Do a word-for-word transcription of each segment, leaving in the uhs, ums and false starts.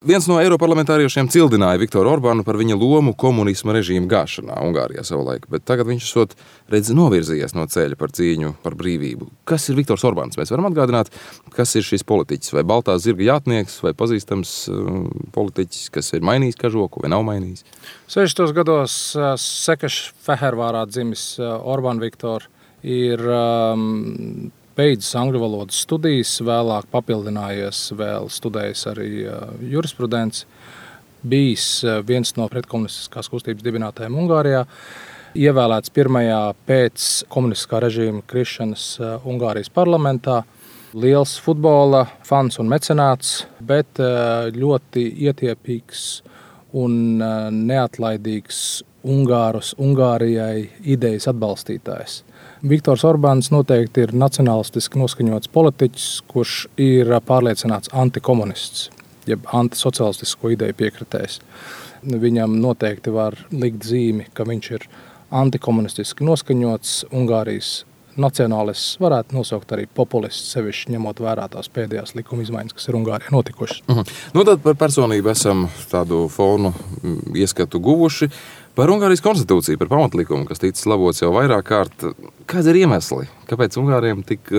Viens no eiroparlamentāriešiem cildināja Viktoru Orbānu par viņa lomu komunisma režīma gāšanā Ungārijā savulaik, bet tagad viņš esot redz novirzījies no ceļa par cīņu par brīvību. Kas ir Viktors Orbāns? Mēs varam atgādināt, kas ir šis politiķis, vai baltā zirga jātnieks, vai pazīstams uh, politiķis, kas ir mainījis kažoku vai nav mainījis? sešdesmitos gados uh, Sekeš Fehervārā dzimis uh, Orbán Viktor ir um, beidzis angļu valodas studijas, vēlāk papildinājies, vēl studējis arī jurisprudenci, bijis viens no pretkomunistiskās kustības dibinātājiem Ungārijā, ievēlēts pirmajā pēc komunistiskā režīma krišanas Ungārijas parlamentā, liels futbola fans un mecenāts, bet ļoti ietiepīgs un neatlaidīgs Ungārus, Ungārijai idejas atbalstītājs. Viktors Orbāns noteikti ir nacionalistiski noskaņots politiķis, kurš ir pārliecināts antikomunists, jeb antisocialistisko ideju piekritējs. Viņam noteikti var likt zīmi, ka viņš ir antikomunistiski noskaņots, Ungārijas nacionālists, varētu nosaukt arī populists, sevišķi ņemot vērā tās pēdējās likuma izmaiņas, kas ir Ungārijā notikušas. Uh-huh. Nu tad par personību esam tādu fonu ieskatu guvuši. Par Ungārijas konstitūciju, par pamatlikumu, kas ticis labots jau vairāk kārt, kāds ir iemesli? Kāpēc Ungāriem tik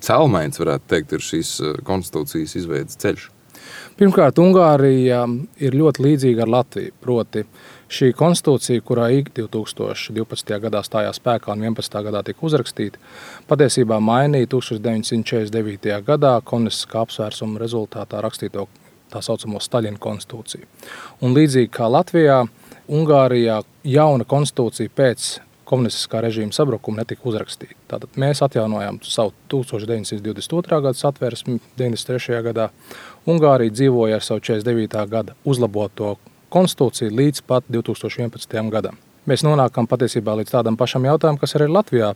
celmains, varētu teikt, ir šīs konstitūcijas izveidas ceļš? Pirmkārt, Ungārija ir ļoti līdzīga ar Latviju, proti šī konstitūcija, kurā divi tūkstoši divpadsmitajā gadā stājās spēkā un vienpadsmitajā gadā tika uzrakstīta, patiesībā mainīja deviņdesmit četrdesmit devītajā gadā komunistiskā apsvērsuma rezultātā rakstīto tā saucamo Staļina konstitūciju. Un līdzīgi kā Latvijā, Ungārijā jauna konstitūcija pēc komunistiskā režīma sabrukuma netika uzrakstīta. Tātad mēs atjaunojām savu deviņdesmit divdesmit otrā gada satversmi deviņdesmit trešajā gadā. Ungārija dzīvoja ar savu četrdesmit devītā gada uzlaboto konstitūciju līdz pat divi tūkstoši vienpadsmitajam gadam. Mēs nonākam patiesībā līdz tādam pašam jautājumam, kas arī Latvijā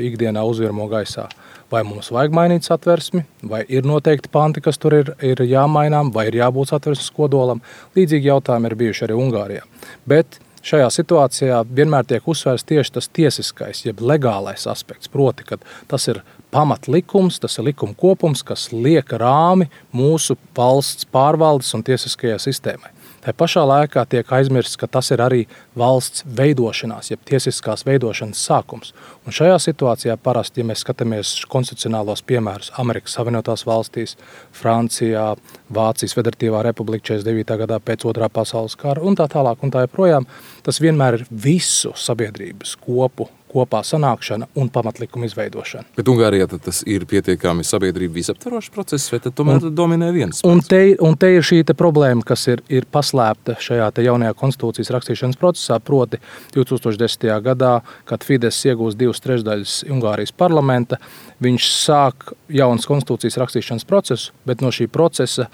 ikdienā uzvirmo gaisā. Vai mums vajag mainīt satversmi, vai ir noteikti panti, kas tur ir, ir jāmainām, vai ir jābūt satversmes kodolam. Līdzīgi jautājumi ir bijuši arī Ungārijā. Bet šajā situācijā vienmēr tiek uzsvērts tieši tas tiesiskais, jeb legālais aspekts, proti, ka tas ir pamatlikums, tas ir likuma kopums, kas liek rāmi mūsu valsts pārvaldes un tiesiskajai sistēmai. Tā pašā laikā tiek aizmirsts, ka tas ir arī valsts veidošanās, jeb tiesiskās veidošanas sākums. Un šajā situācijā parasti, ja mēs skatāmies konstitucionālos piemērus Amerikas Savienotās valstīs, Francijā, Vācijas Federatīvā republika četrdesmit devītā gadā pēc otrā pasaules kara un tā tālāk un tā joprojām, tas vienmēr ir visu sabiedrības kopu kopā sanākšana un pamatlikuma izveidošana. Bet Ungārijā tad tas ir pietiekami sabiedrība visaptvarošs process, vai tad tomēr un, dominē viens spēks? Un te, un te ir šī te problēma, kas ir, ir paslēpta šajā te jaunajā konstitūcijas rakstīšanas procesā, proti divi tūkstoši desmitajā gadā, kad Fides iegūst divas trešdaļas Ungārijas parlamenta, viņš sāk jaunas konstitūcijas rakstīšanas procesu, bet no šī procesa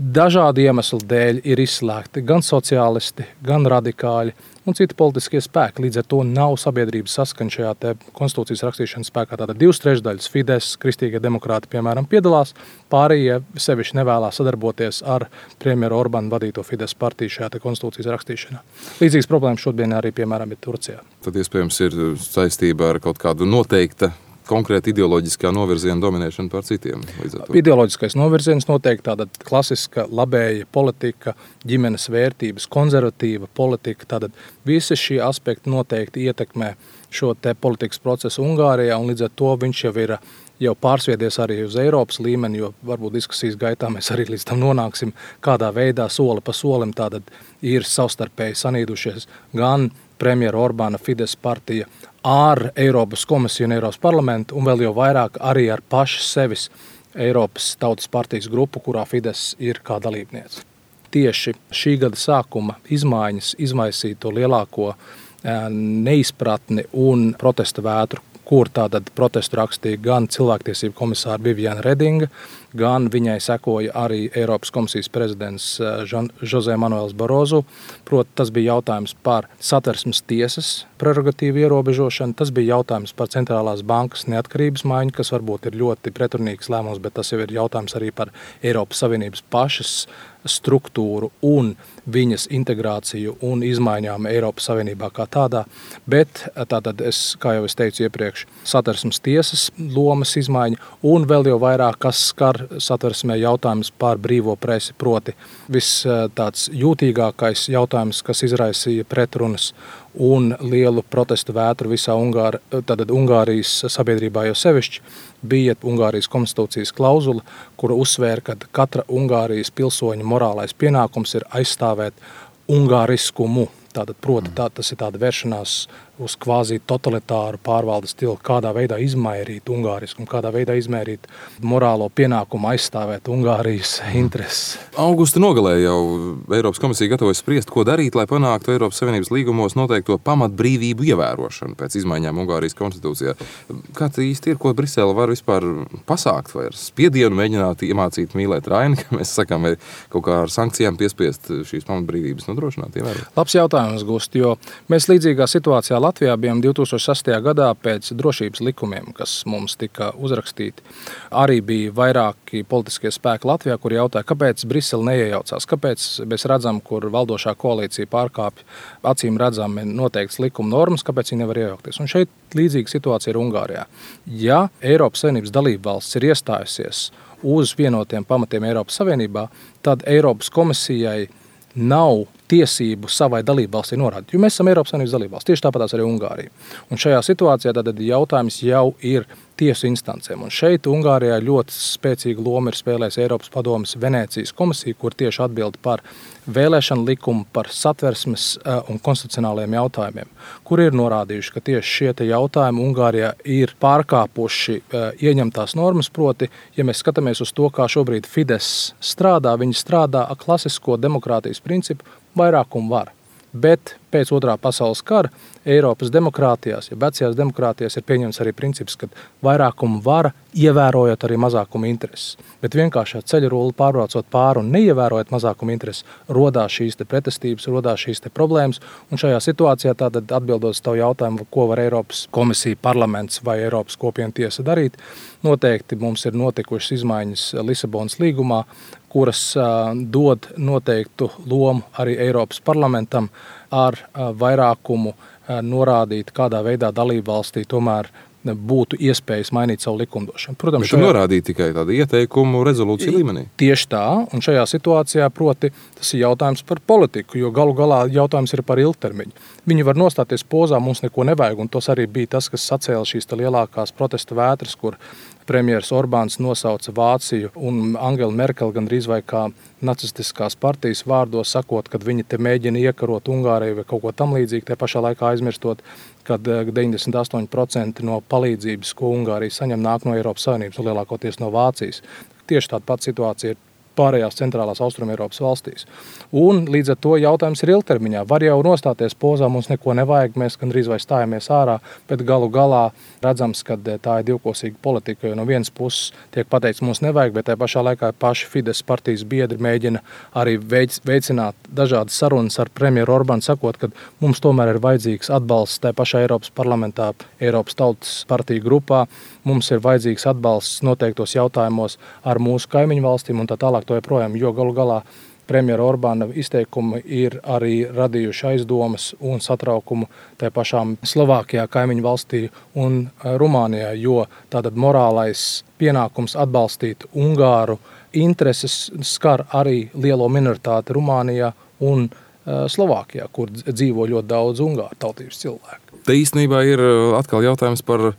dažādu iemeslu dēļ ir izslēgti gan sociālisti, gan radikāļi un citi politiskie spēki. Līdz ar to nav sabiedrības saskaņa šajā te konstitūcijas rakstīšanas spēkā. Tātad divas trešdaļas Fides, kristīgie demokrāti, piemēram, piedalās, pārējie sevišķi nevēlās sadarboties ar premjeru Orbānu vadīto Fides partiju šajā te konstitūcijas rakstīšanā. Līdzīgas problēmas šodien arī, piemēram, ir Turcijā. Tad iespējams ir saistība ar kaut kādu noteikta konkrēti ideoloģiskā novirziena dominēšana pār citiem. Ideoloģiskais novirziens noteikti tāda klasiska labēja politika, ģimenes vērtības, konservatīva politika. Tātad visi šie aspekti noteikti ietekmē šo te politikas procesu Ungārijā, un līdz ar to viņš jau ir jau pārsviedies arī uz Eiropas līmeni, jo varbūt diskusijas gaitā mēs arī līdz tam nonāksim, kādā veidā soli pa solim tātad ir savstarpēji sanīdušies gan premjera Orbāna Fides partija ar Eiropas komisiju un Eiropas parlamentu, un vēl jau vairāk arī ar pašu sevis Eiropas tautas partijas grupu, kurā Fides ir kā dalībniece. Tieši šī gada sākuma izmaiņas izmaisīja to lielāko neizpratni un protesta vētru, kur tātad protestu rakstīja gan cilvēktiesību komisāra Viviana Redinga, gan viņai sekoja arī Eiropas komisijas prezidents José Manuels Barozu. Proti, tas bija jautājums par satversmes tiesas prerogatīvu ierobežošanu, tas bija jautājums par centrālās bankas neatkarības maiņu, kas varbūt ir ļoti pretrunīgs lēmums, bet tas jau ir jautājums arī par Eiropas Savienības pašas struktūru un viņas integrāciju un izmaiņām Eiropas Savienībā kā tādā, bet tātad es, kā jau es teicu iepriekš, satversmes tiesas lomas izmaiņa un vēl jau vairāk, kas skar satversmē jautājums par brīvo presi, proti viss tāds jūtīgākais jautājums, kas izraisīja pretrunas un lielu protestu vētru visā Ungāri, tātad Ungārijas sabiedrībā jau sevišķi, bija Ungārijas konstitūcijas klauzula, kura uzsvēra, ka katra Ungārijas pilsoņa morālais pienākums ir aizstāvēt ungāriskumu. Tātad, proti, tā, tas ir tāda vēršanās uz kvāzi totalitāru pārvaldes stilu, kādā veidā izmairīt ungāriskumu, kādā veidā izmērīt morālo pienākumu aizstāvēt Ungārijas intereses. Augusta nogalē jau Eiropas komisija gatavojas spriest, ko darīt, lai panāktu Eiropas Savienības līgumos noteikto pamatbrīvību ievērošanu pēc izmaiņām Ungārijas konstitūcijā. Kā tā īsti ir, ko Brisele var vispār pasākt, vai ar spiedienu mēģināt iemācīt mīlēt Raini, ka mēs sakām, vai kaut kā ar sankcijām piespiest šīs pamatbrīvības nodrošināt, ievērot? Labs jautājums, Gust, jo mēs līdzīgā situācijā Latvijā bijām divi tūkstoši sastajā gadā pēc drošības likumiem, kas mums tika uzrakstīti. Arī bija vairāki politiskie spēki Latvijā, kuri jautāja, kāpēc Brisele neiejaucās, kāpēc mēs redzam, kur valdošā koalīcija pārkāpj acīm redzami noteikts likuma normas, kāpēc viņi nevar iejaukties. Un šeit līdzīga situācija ir Ungārijā. Ja Eiropas Savienības dalība valsts ir iestājusies uz vienotiem pamatiem Eiropas Savienībā, tad Eiropas komisijai nav tiesību savai dalībvalstī norādīt, jo mēs esam Eiropas Savienības dalībvalsts, tieši tāpatās arī Ungārija. Un šajā situācijā tad jautājums jau ir tiesu instancēm. Un šeit Ungārijā ļoti spēcīga loma ir spēlējis Eiropas padomes Venēcijas komisija, kur tieši atbild par vēlēšanu likumu, par satversmes un konstitucionāliem jautājumiem, kur ir norādījuši, ka tieši šie te jautājumi Ungārijā ir pārkāpuši ieņemtās normas, proti, ja mēs skatāmies uz to, kā šobrīd Fidesz strādā, viņi strādā ar klasisko demokrātijas principu, vairākumu var. Bet pēc otrā pasaules kara Eiropas demokrātijās, ja vecajās demokrātijās ir pieņemts arī princips, ka vairākumu vara ievērojot arī mazākumu intereses. Bet vienkārši ceļu rulli pārbraucot pāri un neievērojot mazākumu intereses, rodās šīs te pretestības, rodās šīs te problēmas. Un šajā situācijā tātad atbildot uz tavu jautājumu, ko var Eiropas komisija, parlaments vai Eiropas kopienu tiesa darīt, noteikti mums ir notikušas izmaiņas Lisabonas līgumā, kuras uh, dod noteiktu lomu arī Eiropas parlamentam ar uh, vairākumu uh, norādīt, kādā veidā dalībvalstī tomēr būtu iespējas mainīt savu likumdošanu. Protams, šajā... norādīt tikai tādu ieteikumu rezolūciju līmenī. Tieši tā, un šajā situācijā, proti, tas ir jautājums par politiku, jo galu galā jautājums ir par ilgtermiņu. Viņi var nostāties pozā, mums neko nevajag, un tas arī bija tas, kas sacēla šīs lielākās protesta vētras, kur premjeras Orbāns nosauca Vāciju un Angela Merkel gandrīz vai kā nacistiskās partijas vārdos sakot, kad viņi te mēģina iekarot Ungāriju vai kaut ko tam līdzīgi, te pašā laikā aizmirstot, kad deviņdesmit astoņi procenti no palīdzības, ko Ungārija saņem, nāk no Eiropas Savienības un lielākoties no Vācijas. Tieši tāda pati situācija ir pārējās centrālās Austrumeiropas valstīs. Un līdz ar to jautājums ir ilgtermiņā. Var jau nostāties pozā, mums neko nevajag, mēs gandrīz vai stājamies ārā, bet galu galā redzams, ka tā ir divkosīga politika, jo no vienas puses tiek pateikts, mums nevajag, bet tajā pašā laikā paši Fidesz partijas biedri mēģina arī veicināt dažādas sarunas ar premjeru Orbānu, sakot, ka mums tomēr ir vajadzīgs atbalsts tajā pašā Eiropas parlamentā, Eiropas tautas partiju grupā, mums ir vajadzīgs atbalsts noteiktos jautājumos ar mūsu kaimiņu valstīm un tā tālāk to joprojām, jo galu galā premjera Orbāna izteikumi ir arī radījuši aizdomas un satraukumu tajā pašām Slovākijā, kaimiņu valstī un Rumānijā, jo tātad morālais pienākums atbalstīt Ungāru intereses skar arī lielo minoritāti Rumānijā un Slovākijā, kur dzīvo ļoti daudz Ungāru tautības cilvēku. Te īstenībā ir atkal jautājums par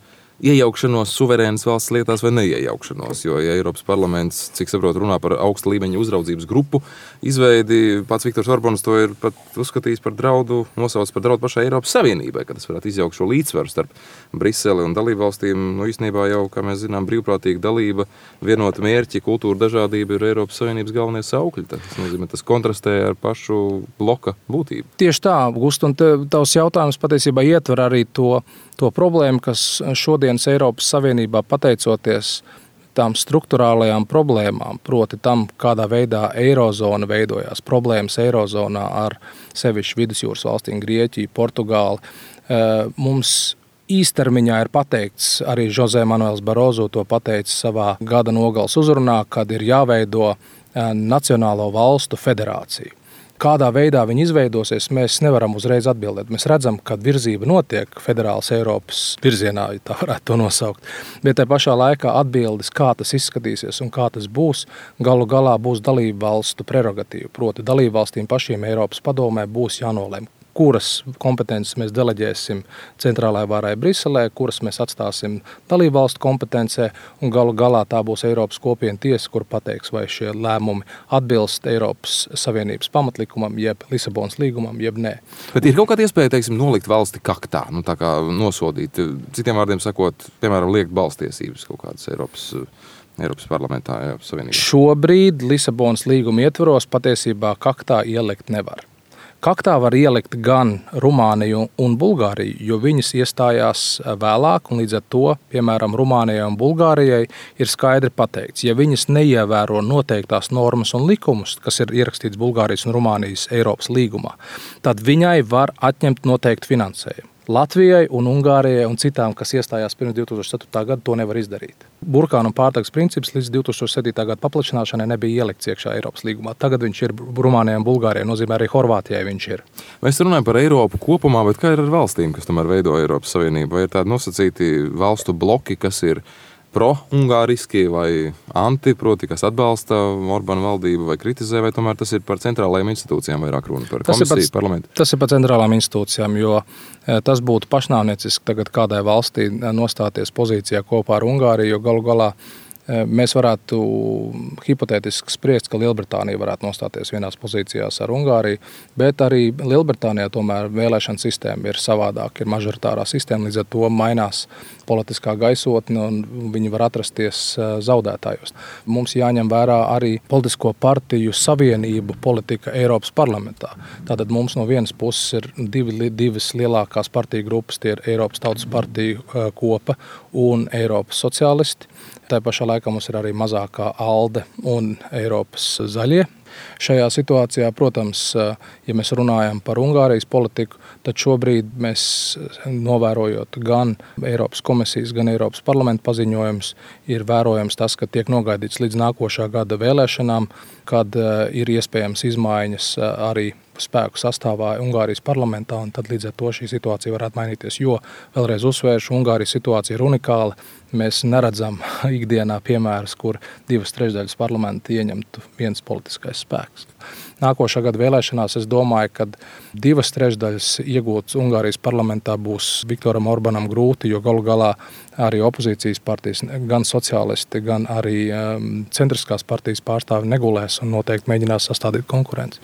iejaukšanos suverēnas valsts lietās vai neiejaukšanos, jo ja Eiropas parlaments, cik saprotu, runā par augsta līmeņa uzraudzības grupu izveidi, pats Viktors Orbāns to ir pat uzskatījis par draudu, nosaucis par draudu pašai Eiropas Savienībai, ka tas varētu izjaukt šo līdzsvaru starp Briseli un dalību valstīm. Nu, īstenībā jau, kā mēs zinām, brīvprātīga dalība, vienota mērķi, kultūra dažādība ir Eiropas Savienības galvenie saukļi. Tas nozīmē, tas kontrastē ar pašu bloka būtību. Tieši tā, Gust, un tavs jautājums patiesībā ietver arī to, to problēmu, kas šodienas Eiropas Savienībā pateicoties tām struktūrālajām problēmām, proti tam, kādā veidā eirozona veidojās, problēmas eirozonā ar sevišķi vidusjūras valstīm, Grieķiju, Portugāli. Mums īstermiņā ir pateikts, arī José Manuels Barozo to pateica savā gada nogales uzrunā, kad ir jāveido Nacionālo valstu federāciju. Kādā veidā viņi izveidosies, mēs nevaram uzreiz atbildēt. Mēs redzam, ka virzība notiek federālas Eiropas virzienā, ja tā varētu to nosaukt. Bet tajā pašā laikā atbildes, kā tas izskatīsies un kā tas būs, galu galā būs dalību valstu prerogatīva. Proti dalību valstīm pašiem Eiropas padomē būs jānolem, kuras kompetences mēs deleģēsim centrālajai varai Briselē, kuras mēs atstāsim dalību valstu kompetencē, un galu galā tā būs Eiropas kopienu tiesa, kur pateiks, vai šie lēmumi atbilst Eiropas Savienības pamatlikumam, jeb Lisabonas līgumam, jeb nē. Bet ir kaut kāda iespēja, teiksim, nolikt valsti kaktā, nu tā kā nosodīt, citiem vārdiem sakot, piemēram, liekt balstiesības kaut kādas Eiropas Eiropas parlamentā, Eiropas Savienībā? Šobrīd Lisabonas līguma ietvaros patiesībā kaktā ielikt nevar. Kaktā var ielikt gan Rumāniju un Bulgāriju, jo viņas iestājās vēlāk, un līdz ar to, piemēram, Rumānijai un Bulgārijai ir skaidri pateikts, ja viņas neievēro noteiktās normas un likumus, kas ir ierakstīts Bulgārijas un Rumānijas Eiropas līgumā, tad viņai var atņemt noteikti finansējumu. Latvijai un Ungārijai un citām, kas iestājās pirms divi tūkstoši septītā gada, to nevar izdarīt. Burkānu un pārtagas princips līdz divi tūkstoši septītā gada paplašināšanai nebija ielikts iekšā Eiropas līgumā. Tagad viņš ir Rumānijai un Bulgārijai, nozīmē arī Horvātijai viņš ir. Mēs runājam par Eiropu kopumā, bet kā ir ar valstīm, kas tomēr veido Eiropas Savienību? Vai ir tādi nosacīti valstu bloki, kas ir pro-ungāriski vai anti, proti, kas atbalsta Orbāna valdību vai kritizē, vai tomēr tas ir par centrālajām institūcijām vairāk runa par komisiju, parlamentu? Tas ir par centrālām institūcijām, jo tas būtu pašnāvnieciski tagad kādai valstī nostāties pozīcijā kopā ar Ungāriju, jo galu galā mēs varētu hipotētiski spriest, ka Lielbritānija varētu nostāties vienās pozīcijās ar Ungāriju, bet arī Lielbritānijā tomēr vēlēšana sistēma ir savādāk, ir mažoritārā sistēma, līdz ar to mainās politiskā gaisotne un viņi var atrasties zaudētājos. Mums jāņem vērā arī politisko partiju savienību politika Eiropas parlamentā. Tātad mums no vienas puses ir divi, divas lielākās partiju grupas, tie ir Eiropas Tautas partiju kopa un Eiropas sociālisti. Tā pašā laikā mums ir arī mazākā ALDE un Eiropas zaļie. Šajā situācijā, protams, ja mēs runājam par Ungārijas politiku, tad šobrīd mēs, novērojot gan Eiropas komisijas, gan Eiropas parlamenta paziņojumus, ir vērojams tas, ka tiek nogaidīts līdz nākošā gada vēlēšanām, kad ir iespējams izmaiņas arī spēku sastāvā Ungārijas parlamentā, un tad līdz ar to šī situācija varētu mainīties, jo, vēlreiz uzsvēršu, Ungārijas situācija ir unikāla. Mēs neredzam ikdienā piemērus, kur divas trešdaļas parlamenta ieņemtu viens politiskais spēks. Nākošā gada vēlēšanās es domāju, ka divas trešdaļas iegūtas Ungārijas parlamentā būs Viktoram Orbānam grūti, jo galu galā arī opozīcijas partijas, gan sociālisti, gan arī um, centriskās partijas pārstāvi negulēs un noteikti mēģinās sastādīt konkurenci.